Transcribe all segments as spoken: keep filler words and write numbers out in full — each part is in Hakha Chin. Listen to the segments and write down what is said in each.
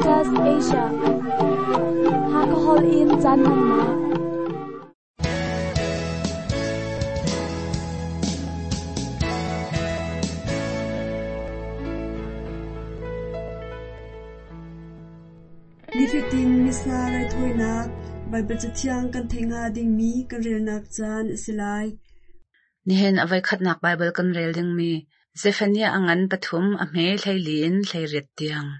Adventist Asia Hakahol in caan hmannak Nifatin Missa raithawinak Baibal Cathiang kan theih hnga dingmi kan relnak caan a si lai. Nihin a voikhatnak Baibal kan rel dingmi Zephaniah a ngan pathum a hme hleili in hleiriat tiang.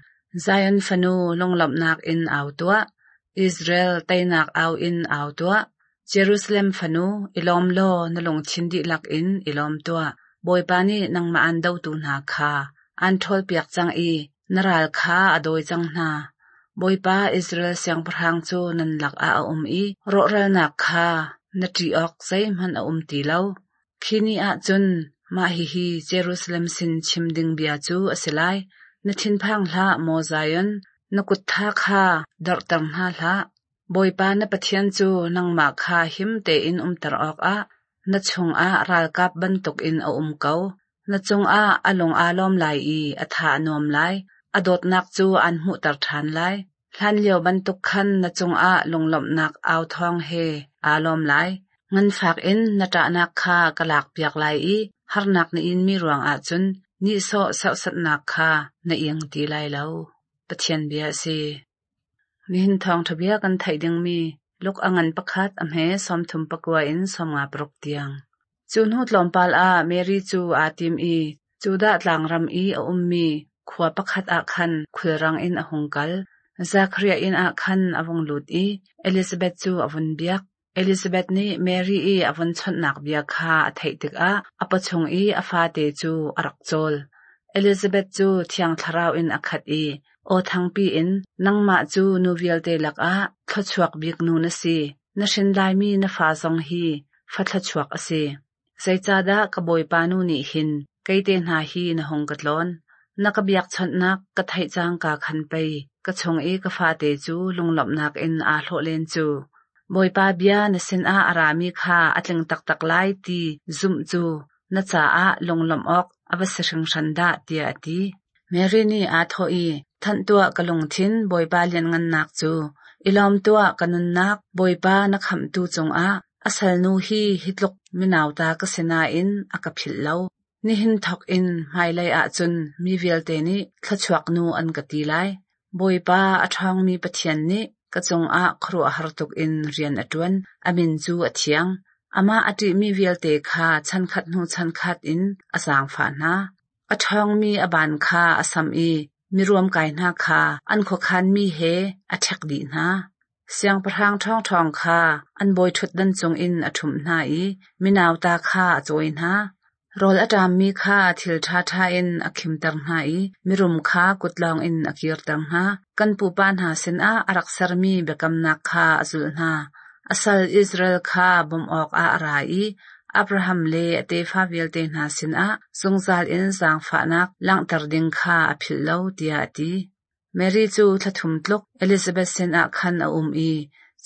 Zion fanu lunglawmhnak in au tuah. Israel teinak au in au tuah. Jerusalem fanu i lawm law na lungthin dihlak in i lawm tuah. Bawipa nih nangmah aan dotu hna kha aan ṭhawlpiak cang i na ral kha a dawi cang hna. Bawipa Israel siangpahrang cu nan lakah a um i rawhralnak kha na ṭih awk zeihmanh a um ti lo. Khi ni ah cun mah hihi Jerusalem sin chim ding bia cu a si lai. Na thinphang hlah, maw Zion, na kut tha kha dorhter hna hlah. Bawipa na Pathian cu nangmah kha him tein umter awkah na chungah ralkap bantukin a um ko. Na cungah a lung aa lawm lai i a tha a nuam lai. A dawtnak cu aan hmuhter ṭhan lai. Hlanlio bantuk khan na cungah lunglawmhnak au thawng he aa lawm lai. Nganfak in na ṭahnak kha ka lakpiak lai i harnak na inmi ruangah cun nihsawh serhsatnak kha na ing ti lai lo. Pathian bia a si. Nihin thawngṭha bia kan theih dingmi Luk a ngan pakhat a hme sawmthum pakua in sawmnga paruk tiang. Cu hnu tlawmpal ah Mary cu aa tim i Judah tlangram i a ummi khua pakhat ah khan khulrang in a hung kal. Zekhariah inn ah khan a vung lut i Elizabeth cu a vun biak. Elizabeth nih Mary i a vun chawnhnak bia kha a theih tikah a pawchung i a fate cu a rak cawl. Elizabeth cu Thiang Thlarau in a khat i aw thangpi in, Nangmah cu nu vialte lakah thluachuak bik nu na si. Na hrin laimi na fa zong hi fa thluachuak a si. Zeicahdah ka Bawipa nu nih hin kei te hna hi na hung ka tlawn? Na ka biakchawnhnak ka theih cangka khan pei ka chung i ka fate cu lunglawmhnak in aa hlawh len cu. Bawipa bia na sinah a rami kha a tling taktak lai ti zumh cu na caah lunglawmh awk a va si hringhran dah, tiah a ti. Mary nih aa thawh i, Thanh tuah ka lungthin Bawipa lianhngannak cu, i lawm tuah ka nunnak Bawipa na khamhtu cungah, a salnu hi hi tluk minauta ka si nain a ka philh lo. Nihin thawk in hmailei ahcun mi vialte nih thluachuak nu an ka ti lai. Bawipa a ṭhawngmi Pathian nih ka cungah khuaruahhar tuk in rian a ṭuan, a min cu a thiang. Amah a ṭihmi vialte kha chankhat hnu chankhat in a zaangfah hna. A ṭhawngmi a baan kha a samh i miruamkai hna kha an khuakhanmi he a ṭhek dih hna. Siangpahrang ṭhawngṭhawng kha an bawiṭhutdan cungin a ṭhumh hna i minauta kha a cawi hna. Rawl a ṭammi kha thil ṭhaṭha in a khimter hna i mirum kha kutlawng in a kirter hna. Kan pupa hna sinah a rak sermi biakamnak kha a zulh hna. A sal Israel kha bawmh awkah a ra i Abraham le a tefa vialte hna sinah zungzal in zaangfahnak langhter ding kha a philh lo, tiah a ti. Mary cu thla thum tluk Elizabeth sinah khan a um i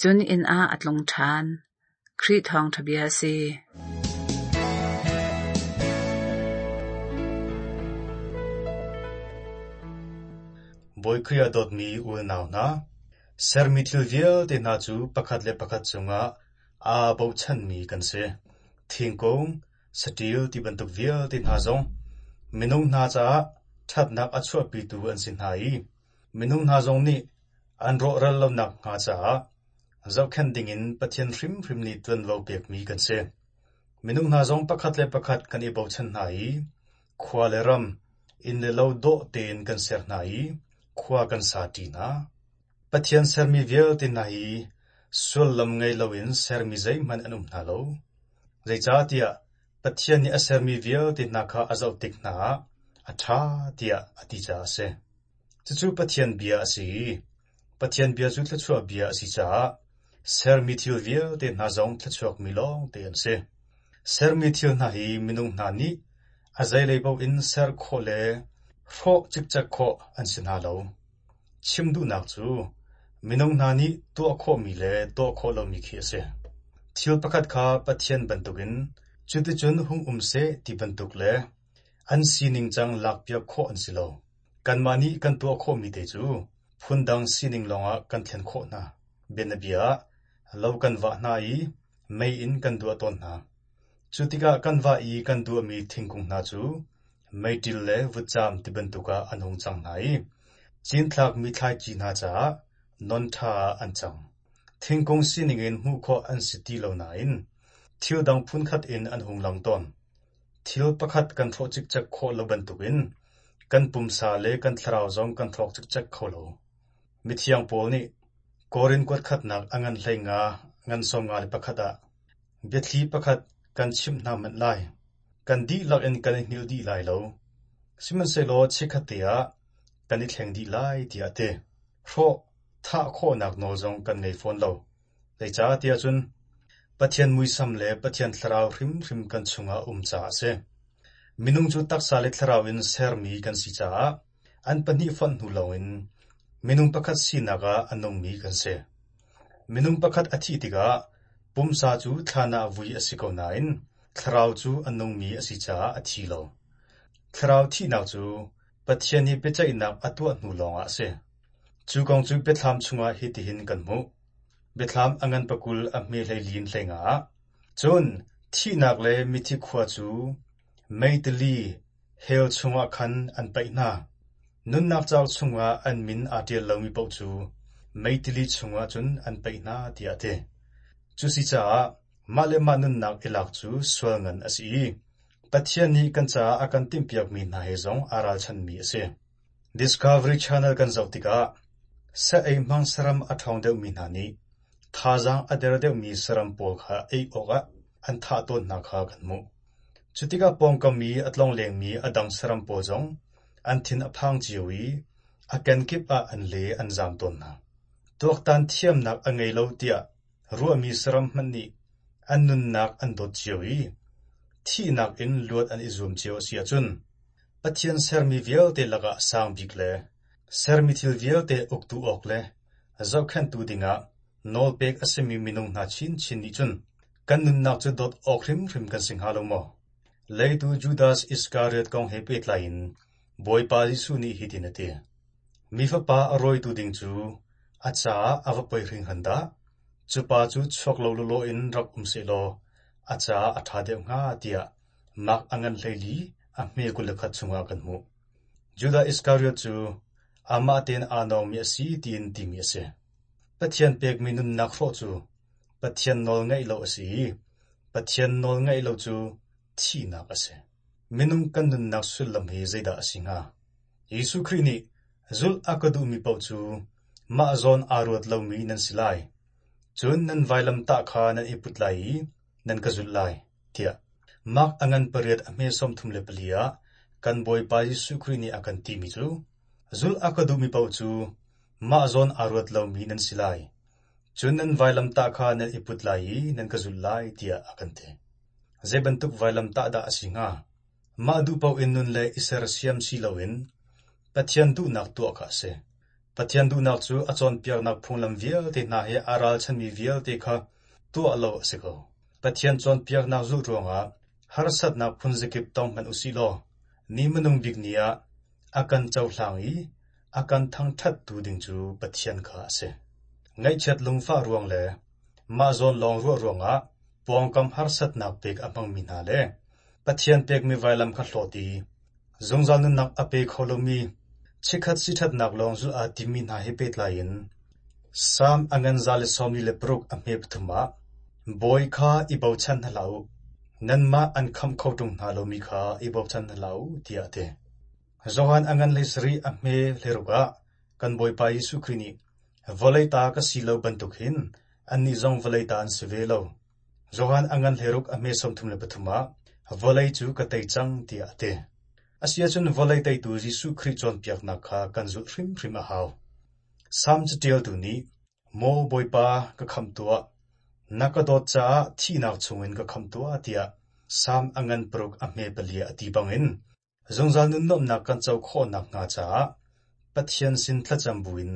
cun inn ah a tlung ṭhan. Khrih thawngṭha bia a si. Bawi Khrih a dawtmi unau hna, sermi thil vialte hna cu pakhat le pakhat cungah aa bochanmi kan si. Thingkung, saṭil ti bantuk vialte hna zong minung hna caah ṭhatnak a chuahpitu an si hna i minung hna zong nih an rawhral lonak hnga caah zohkhenh dingin Pathian hrimhrim nih ṭuanvo pekmi kan si. Minung hna zong pakhat le pakhat kan i bochan hna i khua le ram, inn le lo dawh tein kan ser hna i khua kan sa ṭi hna. Pathian sermi vialte hna hi sullam ngei loin sermi zeihmanh an um hna lo. Zeicahtiah Pathian nih a sermi vialte hna kha a zoh tik hna ah a ṭha tiah a ti caah a si. Cucu Pathian bia a si i Pathian bia cu thluachuah bia a si caah sermi thil vialte hna zong thluachuakmi lawngte an si. Sermi thil hna hi minung hna nih a zeilei paoh in ser khawh le hrawh cikcek khawh an si hna lo. Chim duhnak cu minung hna nih tuah khawhmi le tuah khawh lomi khi a si. Thil pakhat kha Pathian bantukin cuticun hung um seh ti bantuk le an sining cang lakpiak khawh an si lo. Kanmah nih kan tuah khawhmi te cu phundang sining lawngah kan thlen khawh hna. Bianabia ah, lo kan vah hna i mei in kan duah tawn hna. Cu tikah kan vah i kan duahmi thingkung hna cu meiṭil le vutcaam ti bantuk ah an hung cang hna i cinthlakmi thlaici hna caah non ṭha ah an cang. Thingkung sining in hmuh khawh an si ti lo nain thil dang phunkhat in an hung lang tawn. Thil pakhat kan hrawh cikcek khawh lo bantukin kan pumsa le kan thlarau zong kan hrawk cikcek kho lo. Mithiang Paul nih Korin kuatkhatnak a ngan hlei nga ngan sawm nga le pakhat ah biathli pakhat kan chimh hna hmanh lai. Kan dihlak in kan i hngilh dih lai lo. Sihmanhsehlaw chikkhatte ah kan i thleng dih lai tiah a ti. Hrawh thah khawhnak nawl zong kan ngei fawn lo. Zeicahtiah cun Pathian muisam le Pathian thlarau hrimhrim kan chungah um caah a si. Minung cu taksa le thlarau in sermi kan si caah an pahnih fonh hnu lawngin minung pakhat sinak ah a nungmi kan si. Minung pakhat a thih tikah pumsa cu thlan ah vui a si ko nain thlarau cu a nungmi a si caah a thi lo. Thlarau thihnak cu Pathian nih biaceihnak a tuah hnu lawngah a si. Cu kong cu biathlam chungah hitihin kan hmuh. Biathlam a ngan pakul a hme hleili in hleinga ah. Cun thihnak le mithi khua cu meitili hell chungah khan an paih hna. Nunnak cauk chungah an min aa ṭial lomi paoh cu meitili chungah cun an paih hna tiah a ti. Cusicaah mah le mah nunnak i lak cu sual ngan a si i Pathian nih kan caah a kan timhpiakmi hna he zong aa ralchanmi a si. Discovery Channel kan zoh tikah sa ei hmang saram a ṭhawng deuhmi hna nih thazaang a der deuhmi saram pawl kha ei awkah an thah tawn hna kha kan hmuh. Cu tikah pawngkam i a tlonglengmi a dang saram pawl zong an thin a phang cio i a kenkip ah an le an zaam tawn hna. Tuaktan thiamnak a ngei lo tiah ruahmi saram hmanh nih an nunnak an dawt cio i thihnak in luat an i zuam cio a si ahcun Pathian sermi vialte lakah sang bik le sermi thil vialte uktu awk le zohkhenhtu dingah nawlpek a simi minung hna chinchin nih cun kan nunnak cu dawt awk hrimhrim kan si hnga lo maw? Leitu Judas Iskariot kong he pehtlai in Bawipa Jesuh nih hitin a ti: Mi Fapa a rawitu ding cu a caah a va poi hringhran dah! Cu pa cu chuak lo lawlaw in rak um sehlaw a caah a ṭha deuh hnga tiah Mark a ngan hleili a hme kul le khat chungah kan hmuh. Judas Iskariot cu amah tein aa nawngmi a si tiin timi a si. Pathian pekmi nunnak hrawh cu Pathian nawl ngaih lo a si i Pathian nawl ngaih lo cu thihnak a si. Minung kan nunnak sullam hi zeidah a si hnga? Jesuh Khrih nih zulh a ka duhmi paoh cu mah zawn aa ruat lomi nan si lai. Cun nan vailamtah kha nan i put lai i nan ka zulh lai, tiah Mark a ngan pariat a hme sawmthum le pali ah kan Bawipa Jesuh Khrih nih a kan timi cu zulh a ka duhmi paoh cu mah zawn aa ruat lomi nan si lai. Cun nan vailamtah kha nan i put lai i nan ka zulh lai, tiah a kan ti. Zei bantuk vailamtah dah a si hnga? Mah duh paoh in nun le i sersiam si loin Pathian duhnak tuah kha a si. Pathian duhnak cu a cawnpiaknak phunglam vialte hna he aa ralchanmi vialte kha tuah lo a si ko. Pathian cawnpiaknak zulh ruangah harsatnak phunzakip tong hmanh usih law ni hmanung bik ni ah a kan cohlang i a kan thangṭhattu ding cu Pathian kha a si. Ngaihchiat lungfah ruang le mah zawn lawng ruah ruangah pawngkam harsatnak pek a hmangmi hna le Pathian pekmi vailam kha hlawt i zungzal nunnak a pe kho lomi chikkhat siṭhatnak lawng zulh aa timmi hna he pehtlai in Salm a ngan za le sawmli le paruk a hme pathum ah Bawi kha i bochan hna hlah u, nanmah an khamh kho ṭung hna lomi kha i bochan hna hlah u, tiah a ti. Johan a ngan hleisarih a hme hleiruk ah kan Bawipa Jesuh Khrih nih vawlei ta ka si lo bantuk hin annih zong vawlei ta an si ve lo. Johan a ngan hleiruk a hme sawmthum le pathum ah vawlei cu ka tei cang tiah a ti. Asiahcun vawlei teitu Jesuh Khrih cawnpiaknak kha kan zulh hrimhrim a hau. Salm caṭialtu nih Maw Bawipa, ka khamh tuah. Na ka dawt caah thihnak chungin ka khamh tuah tiah Salm a ngan paruk a hme pali ah a ti bangin zungzal nunnuamhnak kan co khawh nakhnga caah Pathian sin thlacam buin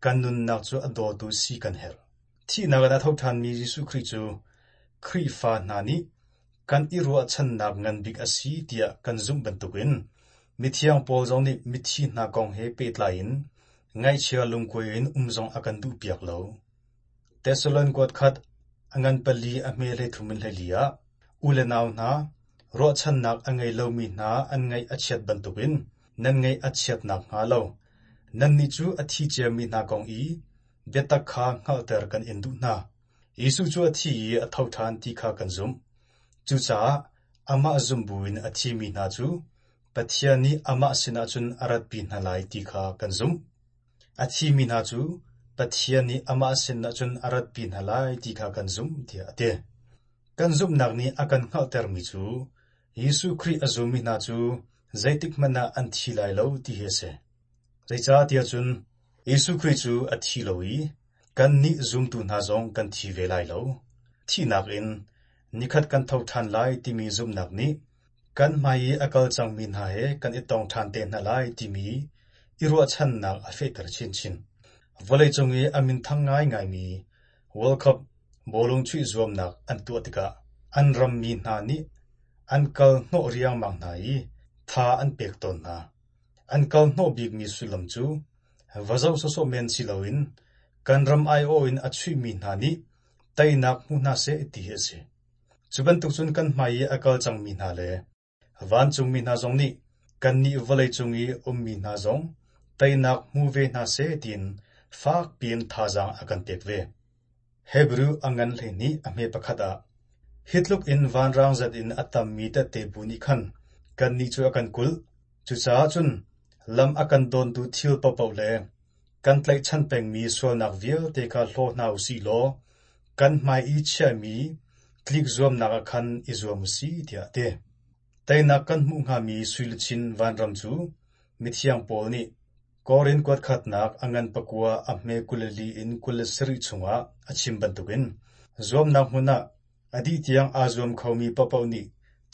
kan nunnak cu a dawtu si kan herh. Thihnak in a tho ṭhanmi Jesuh Khrih cu Khrihfa hna nih kan i ruahchannak ngan bik a si tiah kan zumh bantukin mithiang Paul zong nih mithi hna kong he pehtlai in Ngaihchia lungkuai in um zong a kan duhpiak lo. Thessalon kuat khat a ngan pali a hme hleithum in hleili ah u le nau hna, ruahchannak a ngei lomi hna an ngaih a chiat bantukin nan ngaih a chiat nakhnga lo, nannih cu a thi ciami hna kong i biatak kha hngalhter kan in duh hna. Jesuh cu a thi i a tho ṭhan ti kha kan zumh. Cucaah amah zum buin a thimi hna cu Pathian nih amah sinah cun a ratpi hna lai ti kha kan zumh. A thimi hna cu Pathian nih amah sinah cun a ratpi hna lai ti kha kan zumh tiah a ti. Kan zumhnak nih a kan hngalhtermi cu Jesuh Khrih a zummi hna cu zeitikhmanh ah an thi lai lo ti hi a si. Zeicahtiah cun Jesuh Khrih cu a thi lo i kannih zumtu hna zong kan thi ve lai lo. Thihnak in nikhat kan tho ṭhan lai timi zumhnak nih kan hmai i a kal cangmi hna he kan i tong ṭhan te hna lai timi i ruahchannak a fehter chinchin. Vawleicung i a minthang ngaingaimi World Cup bawlung chuih zuamnak an tuah tikah an rammi hna nih an kal hnawh riangmang hna i tha an pek tawn hna. An kal hnawh bikmi sullam cu va zoh sawsawh men si loin kan ram aiawh in a chuihmi hna nih teinak hmu hna seh ti hi a si. Cu bantuk cun kan hmai i a kal cangmi hna le vancungmi hna zong nih kannih vawleicung i ummi hna zong teinak hmu ve hna seh tiin fak piin thazaang a kan pek ve. Hebrew a ngan hleihnih a hme pakhat ah hi tluk in vanrang zat in a tammi tette bu nih khan kannih cu a kan kulh. Cucaah cun lam a kan dawntu thil paohpaoh le kan tlaihchan pengmi sualnak vialte kha hlaw hna u sih law kan hmai i chiahmi tlik zuamnak ah khan i zuam u sih tiah a ti. Teinak kan hmuh hngami suiluchin vanram cu mithiang Paul nih Korin kuat khatnak a ngan pakua a hme kul le li in kul le sarih chungah a chim bantukin zuamnak hmun ah a dih tiang aa zuam khomi paohpaoh nih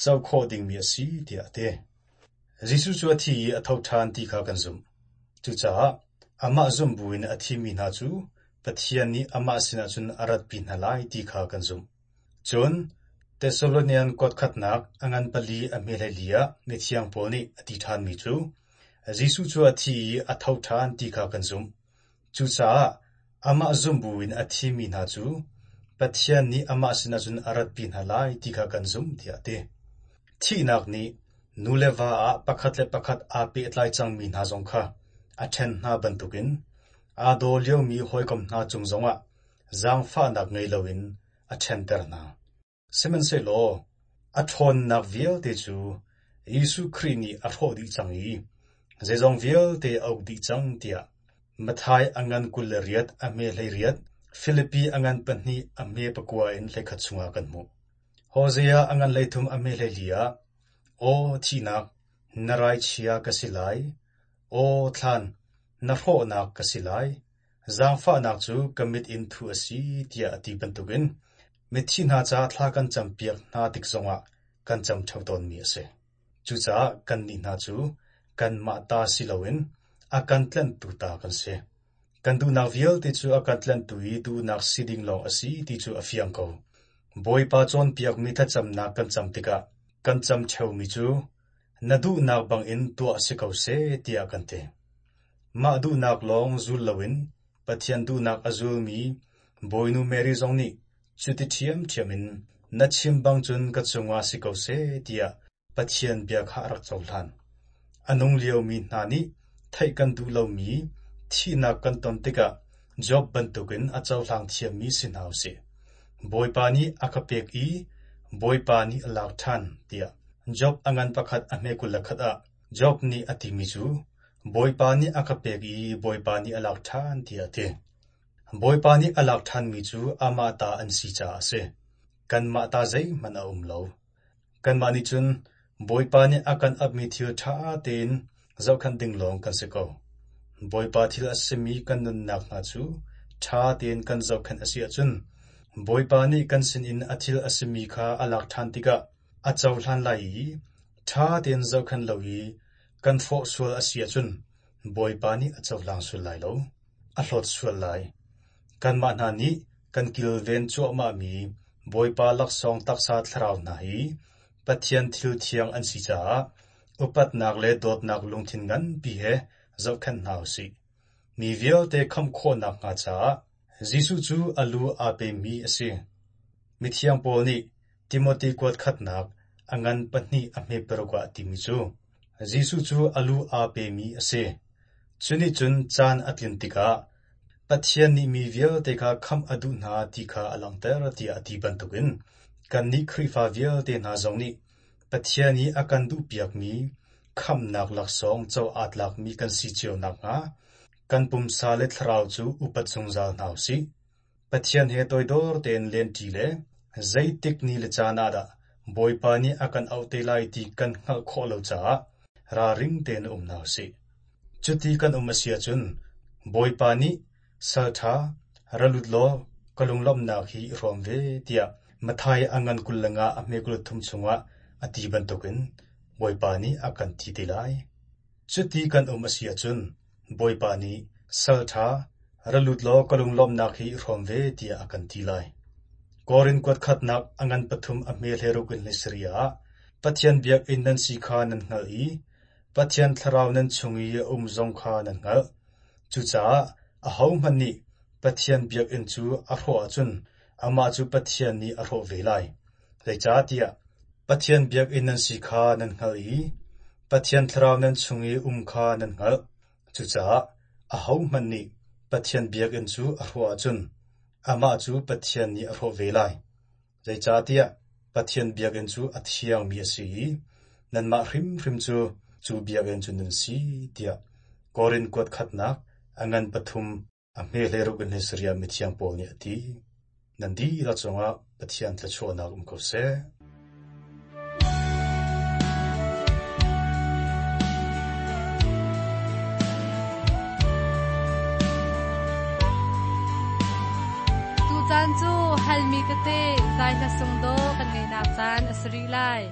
co khawh dingmi a si tiah a ti. Jesuh cu a thi i a tho ṭhan ti kha kan zumh. Cucaah amah zumh buin a thimi hna cu Pathian nih amah sinah cun a ratpi hna lai ti kha kan zumh. Cun Thessalonian kuat khatnak a ngan pali a hme hleili ah mithiang Paul nih a ti ṭhanmi cu Jesuh cu a thi i a tho ṭhan ti kha kan zumh. Cucaah amah zumh buin a thimi hna cu Pathian nih amah sinah cun a ratpi hna lai ti kha kan zumh tiah a ti. Thihnak nih nu le va ah pakhat le pakhat aa pehtlai cangmi hna zong kha a ṭhen hna bantukin aa daw liomi hawikom hna cung zongah zaangfahnak ngei loin a ṭhenter hna. Sihmanhsehlaw a ṭhawnnak vialte cu Jesuh Khrih nih a hrawh dih cang i zeizong vialte a uk dih cang tiah Matthai a ngan kul le riat a hme hleiriat, Filipi a ngan pahnih a hme pakua in hleikhat chungah kan hmuh. Hosea a ngan hleithum a hme hleili ah, Aw thihnak, na raichia ka si lai. Aw thlan, na hrawhnak ka si lai. Zaangfahnak cu ka mit in thuh a si tiah a ti bantukin mithi hna ca thla kan campiak hna tik zongah kan cam ṭheo tawnmi a si. Cucaah kannih hna cu kanmah ta si loin a kan tlanhtu ta kan si. Kan duhnak vialte cu a kan tlanhtu i duhnak si ding lawng a si ti cu a fiang ko. Bawipa cawnpiakmi thlacamnak kan cam tikah kan cam ṭheomi cu na duhnak bangin tuah si ko seh tiah kan ti. Mah duhnak lawng zul loin Pathian duhnak a zulmi Bawinu Mary zong nih cuti ṭhiamṭhiam in na chim bang cun ka cungah si ko seh tiah Pathian bia kha a rak cohlan. A nung liomi hna nih theih kan duh lomi thihnak kan ton tikah Job bantukin a cohlang thiammi si hna u sih. Bawipa nih a ka pek i Bawipa nih a lak ṭhan tiah Job a ngan pakhat a hme kul le khat ah Job nih a timi cu Bawipa nih a ka pek i Bawipa nih a lak ṭhan tiah a ti. Bawipa nih a lak ṭhanmi cu amah ta an si caah a si. Kanmah ta zeihmanh a um lo. Kanmah nih cun Bawipa nih a kan apmi thil ṭha tein zohkhenh ding lawng kan si ko. Bawipa thil a simi kan nunnak hna cu ṭha tein kan zohkhenh a si ahcun Bawipa nih kan sinin a thil a simi kha a lak ṭhan tikah a cohlan lai i ṭha tein zohkhenh lo i kan hrawh sual a si ahcun Bawipa nih a cohlang sual lai lo, a hlawt sual lai. Kanmah hna nih kan kilven cuahmahmi Bawipa laksawng taksa thlarau hna hi Pathian thil thiang an si caah upatnak le dawtnak lungthin nganpi he zohkhenh hna u sih. Mi vialte khamh khawhnak hnga caah Jesuh cu a lu aa pemi a si. Mithiang Paul nih Timote kuat khatnak a ngan pahnih a hme paruk ah timi cu Jesuh cu a lu aa pemi a si. Cu nih cun caan a tlin tikah Pathian nih mi vialte kha khamh a duh hna ti kha a langhter tiah a ti bantukin kannih Khrihfa vialte hna zong nih Pathian i a kan duhpiakmi khamhnak laksawng co aa tlakmi kan si cio nakhnga kan pumsa le thlarau cu upat zungzal hna u sih. Pathian he toidor tein lenṭi le zeitik ni le caan ah dah Bawipa nih a kan auh te lai ti kan hngalh khawh lo caah ralring tein um hna u sih. Cuti kan um a si ahcun Bawipa nih salṭha ra lut law ka lunglawmhnak hi i hrawm ve tiah Matthai a ngan kul le nga a hme kul thum chungah a ti bantukin Bawipa nih a kan ti te lai. Cuti kan um a si ahcun Bawipa nih salṭha ra lut law ka lunglawmhnak hi i hrawm ve tiah a kan ti lai. Korin kuat khatnak a ngan pathum a hme hleiruk in hleisarih ah Pathian biakinn nan si kha nan hngalh i Pathian thlarau nan chung i a um zong kha nan hngalh. Cucaah ahohmanh nih Pathian biakinn cu a hrawh ahcun amah cu Pathian nih a hrawh ve lai. Zeicahtiah Pathian biakinn nan si kha nan hngalh i Pathian thlarau nan chung i um kha nan hngalh. Cucaah ahohmanh nih Pathian biakinn cu a hrawh ahcun amah cu Pathian nih a hrawh ve lai. Zeicahtiah Pathian biakinn cu a thiangmi a si i nanmah hrimhrim cu cu biakinn cu nan si tiah Korin kuat khatnak a ngan pathum a hme hleiruk in hleisarih ah mithiang Paul nih a ti. Nan dihlak cungah Pathian thluachuahnak um ko seh. Tucaan cu halmi tete zai hla sung dawh kan ngeihnak caan a si rih lai.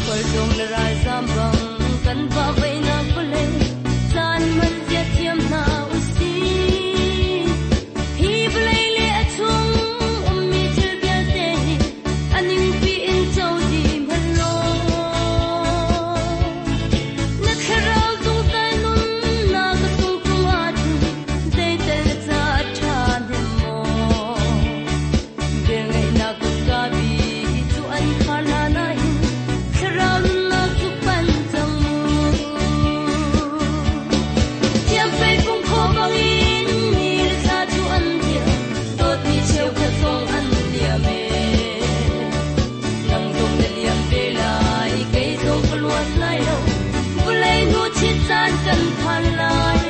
Khualtlung le ralzam bang kan vah veinak vawlei caan hman zia thiam hna usih. Hi vawlei le a chung ummi thil vialte hi a ningpi in co dih hmanh law. Na thlarau zungzal nunnak a sung tung ahcun zeital na ca a ṭha hnem maw? Velngeihnak kutka bik cu an khar hlan ahhin thlarau nunnak cu panh cang mu. Thiamfei fung khaw bangin ni le thla cu an liam, dawtmi cheukhat zong an liam ee. Nang zong na liam ve lai, kei zong ka luat lai lo, vawlei hnu chit caan kan phan lai.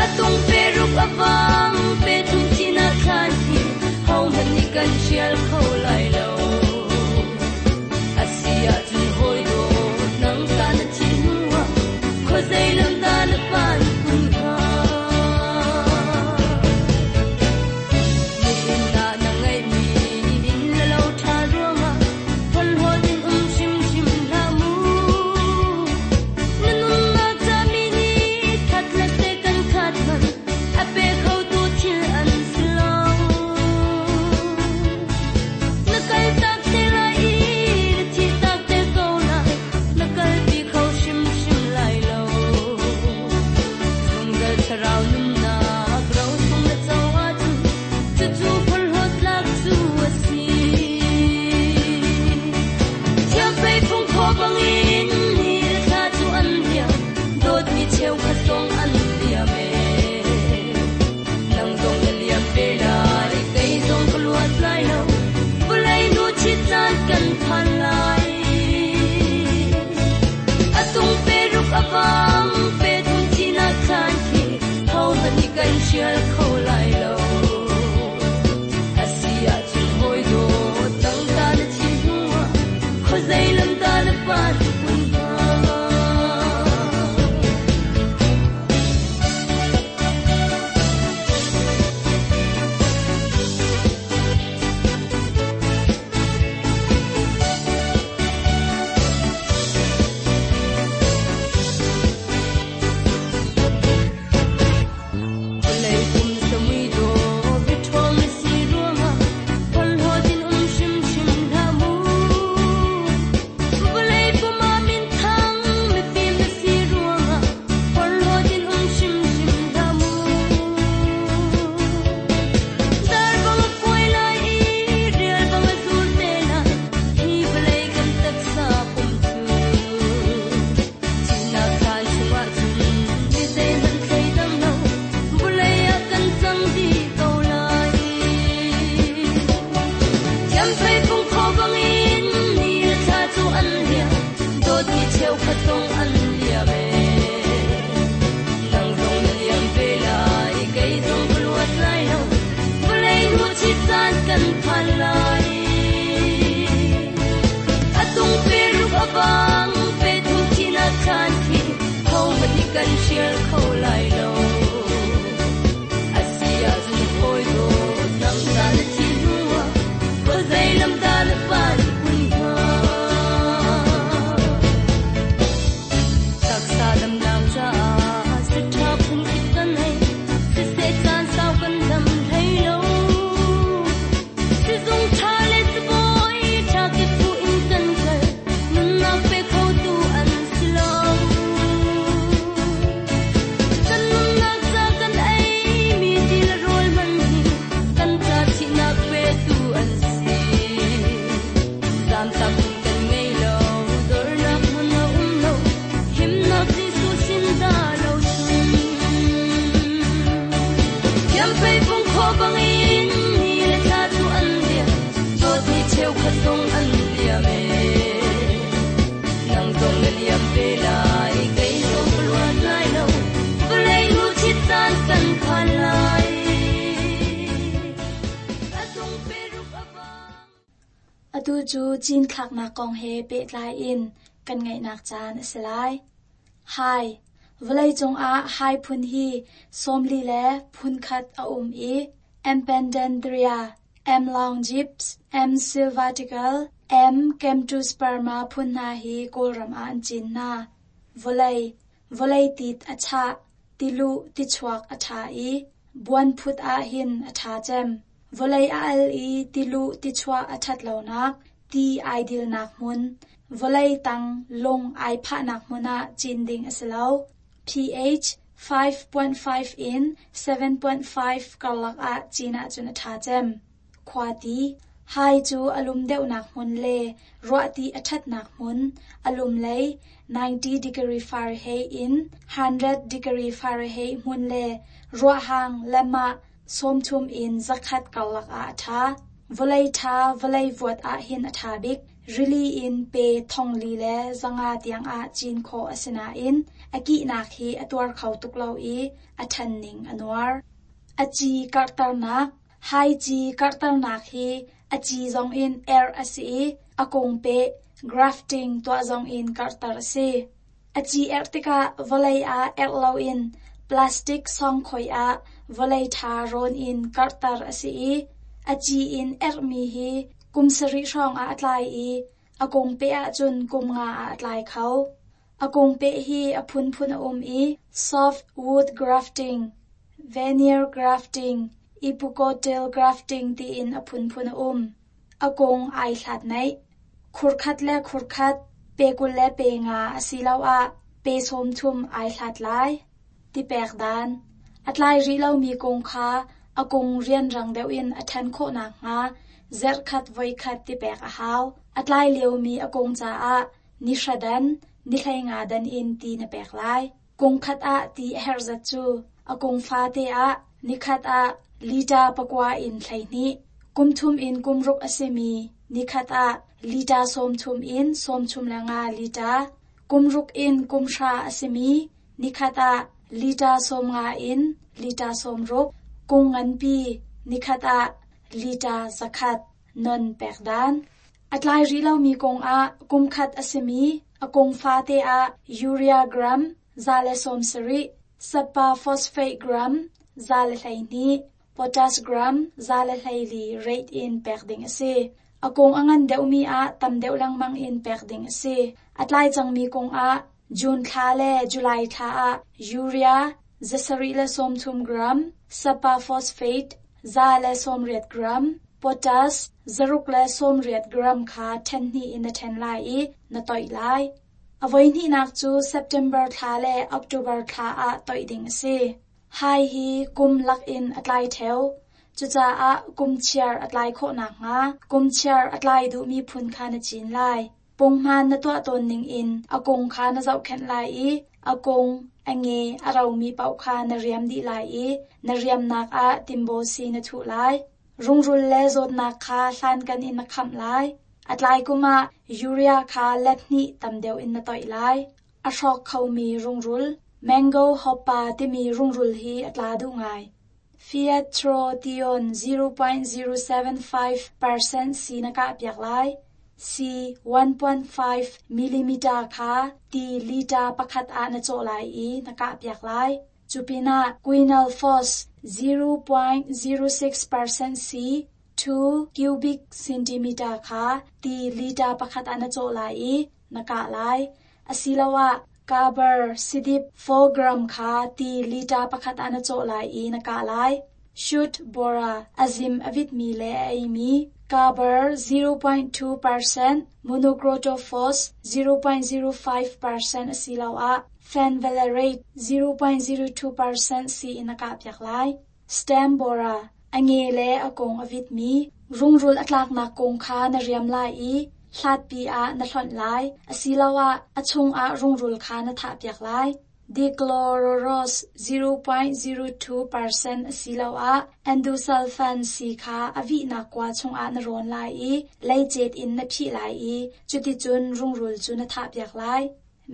A tung pe ruk a vang, pe thum thihnak thlan hi, hohmanh nih kan hrial kho lai lo. A si ahcun hawi dawt, nang ta na thih hnuah, khuazei lam dah na phan kun hnga? Nihin ah na ngeihmi inn le lo ṭha ruangah phorhlawt in um hrimhrim hlah mu. Na nunnak ca mi nih khat le second khat hmanh a pe khotu thil an si lo. Na kaltak te lai i na thihtak te ko lai, na kalpi kho hrimhrim lai lo. Zungzal thlarau nunnak ro sung na co ahcun cucu phorhlawt tlak cu a si. Thiamfei phung khaw bangin ni le thla cu an liam, dawtmi cheukhat zong an liam ee. Nang zong na liam ve lai, kei zong ka luat lai lo, vawlei hnu chit caan kan phan lai. A tung pe ruk a vang, pe thum thihnak thlan khi, hohmanh nih kan hrial kho lai lo. A si ahcun hawi dawt, nang ta na thih hnuah, khuazei lam dah na phan kun hnga? Vawlei pum samui dawh biaṭhawng na si ruangah phorhlawt in um hrimhrim Atu cu cinthlaknak kong he pehtlai in kan ngaihnak caan a si lai. Hai. Vawleicung ah hai phun hi sawmli le phun khat a um i M. pendandria, M. longips, M. sylvatical, M. camptosperma phun hna hi Kawlram ah an cin hna. Vawlei. Vawlei tit a chah, tiluh tichuak a ṭha i buan phut ah hin a ṭha cem. Vawlei a al i tiluh tichuah a ṭhat lonak, ti ai dilnak hmun, vawlei tang lung ai phahnak hmun ah cin ding a si lo. pH five point five in seven point five karlak ah cin ahcun a ṭha cem. Khuati. Hai cu a lum deuhnak hmun le ruahti a ṭhatnak hmun, a lum lei ninety degree Fahrenheit in hundred degree Fahrenheit hmun le ruahhang lemah sawmthum in zakhat karlak ah a ṭha. Vawlei ṭha vawlei vuat ah hin a ṭha bik. Rili in pe thongli le zanga tiang ah cin khawh a si nain a kihnak hi a tuar kho tuk lo i a ṭhan ning a nuar. A ci karhternak. Hai ci karhternak hi a ci zong in er a si i a kung peh grafting tuah zong in karhter a si. A ci erh tikah vawlei ah erh loin plastic sawngkhoi ah vawlei ṭha rawn in karhter a si i a ci in erhmi hi kum sarih hrawng ah a tlai i a kung peh ahcun kum nga ah a tlai kho. A kung peh hi a phunphun a um i soft wood grafting, veneer grafting, epicotyl grafting tiin a phunphun a um. A kung ai hlat naih. Khurkhat le khurkhat, pe kul le pe nga asiloah pe sawmthum ai hlat lai. Tipek dan. A tlai rih lomi kung kha a kung rianrang deuh in a ṭhan khawhnak hnga zarhkhat voikhat tipek a hau. A tlai liomi a kung caah ni hra dan, ni hlei nga dan in ti na pek lai. Kung khat ah ti a herh zat cu a kung fate ah nikhat ah lita pakua in hleihnih. Kum thum in kum ruk a simi nikhat ah lita sawmthum in sawmthum le nga lita. Kum ruk in kum hra a simi nikhat ah lita sawm nga in lita sawm ruk. Kung nganpi nikhat ah lita zakhat non pek dan. A tlai rih lomi kung ah kum khat a simi a kung fate ah urea gram za le sawm sarih, sapa phosphate gram za le hleihnih, potash gram za le hleili rate in pek ding a si. A kung a ngan deuhmi ah tam deuh lengmang in pek ding a si. A tlai cangmi kung ah June thla le July thla ah urea zasarih le sawmthum gram, sapa phosphate za le sawmriat gram, potash zaruk le sawmriat gram kha ṭhen hnih in na ṭhen lai i na toih lai. A voihnihnak cu September thla le October thla ah toih ding a si. Hai hi kum lak in a tlai ṭheo. Cucaah kum chiar a tlai khawhnak hnga kum chiar a tlai duhmi phun kha na cin lai. Punghman na tuah tawn ning in a kung kha na zohkhenh lai i a kung, a nge, a romi paoh kha na riam dih lai i na riamnak ah timbawsi na thuh lai. Rungrul le zawtnak kha hlankan in na khamh lai. A tlai kum ah urea kha let hnih tam deuh in na toih lai. A hrawk khomi rungrul, mango hoppa timi rungrul hi a tla duh ngai. Fiatrotion zero point zero seven five percent si na kah piak lai. C one point five millimeter kha ti liter pakhat ah na cawh lai i na kah piak lai. Cupinah quinalphos zero point zero six percent C two cubic centimeter kha ti liter pakhat ah na cawh lai i na kah lai. Asiloah carbar sidip four gram kha ti liter pakhat ah na cawh lai i na kah lai. Shoot bora azim avit mi le a ei mi carbar zero point two percent monocrotophos zero point zero five percent asiloah fenvalerate zero point zero two percent si in a kah piak lai. Stem bora a nge le a kung avit mi rungrul a tlaknak kung kha na riam lai i hlatpi ah na hlonh lai. Asiloah a chungah rungrul kha na thah piak lai. Dichlororos zero point zero two percent asiloah endosulfan si kha a vihnak kua chungah na rawn lai i leicet in na phih lai i cuticun rungrul cu na thah piak lai.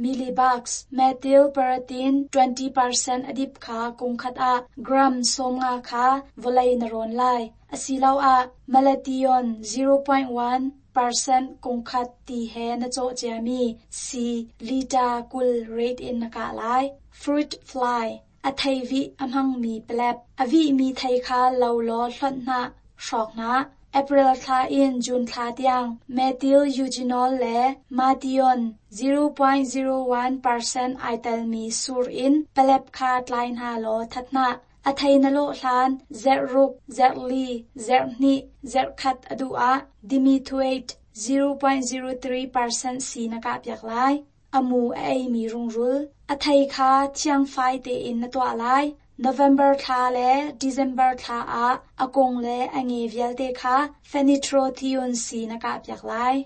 Millibugs methyl paratin twenty percent adip kha kung khat ah gram sawm nga kha vawlei na rawn lai. Asiloah malathion zero point one percent kungkhat ti he na cawh ciami sii liter kul rate in na kah lai. Fruit fly a thei vih a hmangmi palep. A vihmi thei kha lo law hlonh hna, hrawk hna. April thla in June thla tiang methyl eugenol le malathion zero point zero one percent ai telmi sur in palep kha tlai hna law that hna. A thei na lawh hlan zerh ruk, zerh li, zerh hnih, zerh khat a duh ah dimethoate zero point zero three percent sii na kah piak lai. A mu a eimi rungrul. A thei kha thiangfai tein na tuah lai. November thla le December thla ah a kung le a nge vialte kha fenitrothion sii na kah piak lai.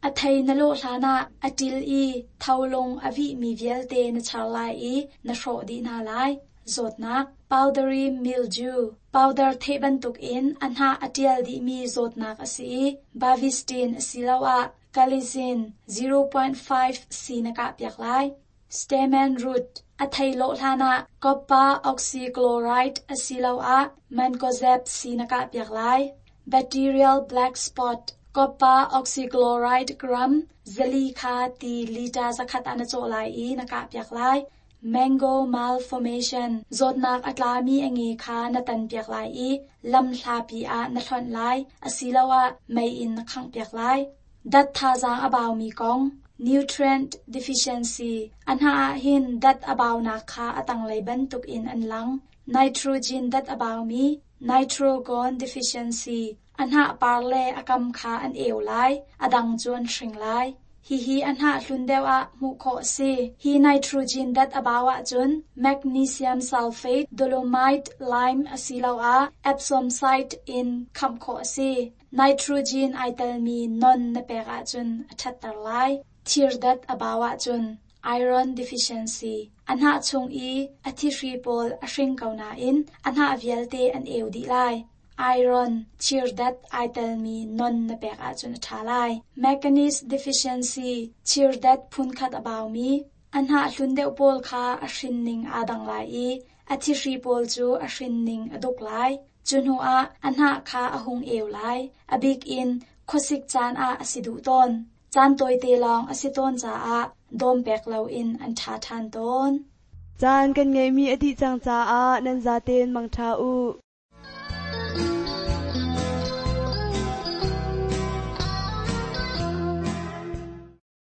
A thei na lawh hlan ah a ṭil i tholung a vihmi vialte na char lai i na hrawh dih hna lai. Zawtnak powdery mildew powder theh bantukin a hnah a ṭial dihmi zawtnak a si i Bavistin asiloah Galazin zero point five sii na kah piak lai. Stamen root a thei lawh hlan ah copper oxychloride asiloah mancozeb sii na kah piak lai. Bacterial black spot copper oxychloride gram zali kha ti liter zakhat ah na cawh lai i na kah piak lai. Mango malformation zawtnak a tlami a nge kha na tan piak lai i lam hlapi ah na hlonh lai asiloah mei in na khangh piak lai. Dat thazaang a baumi kong nutrient deficiency a hnah ah hin dat a baunak kha a tanglei bantukin an lang. Nitrogen dat a baumi nitrogen deficiency a hnah par le a kam kha an eu lai, a dang cu an hring lai. Hihi a hnah hlun deuh ah hmuh khawh a si. Hi nitrogen dat a bau ahcun magnesium sulfate, dolomite lime asiloah Epsom salt in khamh khawh a si. Nitrogen ai telmi non na pek ahcun a ṭhatter lai. Thir dat a bau ahcun iron deficiency a hnah chung i a thihri pawl a hring ko nain a hnah vialte an eu dih lai. Iron thir dat ai telmi non na pek ahcun a ṭha lai. Manganese deficiency thir dat phunkhat a baumi a hnah hlun deuh pawl kha a hrin ning aa dang lai i a thihri pawl cu a hrin ning a duk lai. Cu hnuah a hnah kha a hung eu lai. A bik in khuasik caan ah a si duh tawn. Caan tawite lawng a si tawn caah dawm pek loin an ṭha ṭhan tawn. Caan kan ngeihmi a dih cang caah nan zaten mangṭha u.